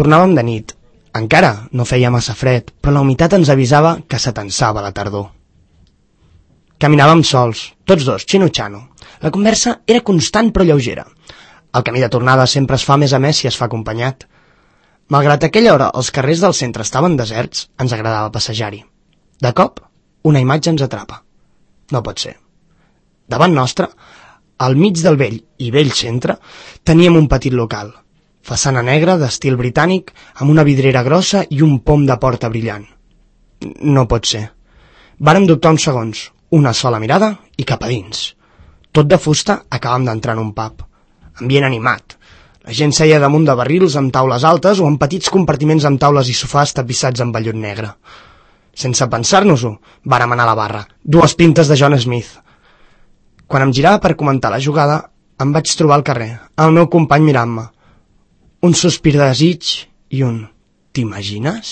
Tornàvem de nit. Encara no feia massa fred, però la humitat ens avisava que s'atensava la tardor. Caminàvem sols, tots dos, xino-xano. La conversa era constant però lleugera. El camí de tornada sempre es fa més amè si es fa acompanyat. Malgrat aquella hora els carrers del centre estaven deserts, ens agradava passejar-hi. De cop, una imatge ens atrapa. No pot ser. Davant nostre, al mig del vell i vell centre, teníem un petit local. Façana negra d'estil britànic amb una vidrera grossa i un pom de porta brillant. No pot ser. Vàrem dubtar uns segons, una sola mirada i cap a dins. Tot de fusta acabam d'entrar en un pub. Ambient animat. La gent seia damunt de barrils amb taules altes o en petits compartiments amb taules i sofàs tapissats amb vellut negre. Sense pensar-nos-ho, vàrem anar a la barra. 2 pintes de John Smith. Quan em girava per comentar la jugada, em vaig trobar al carrer, el meu company mirant-me. Un sospir de desig i un «t'imagines?»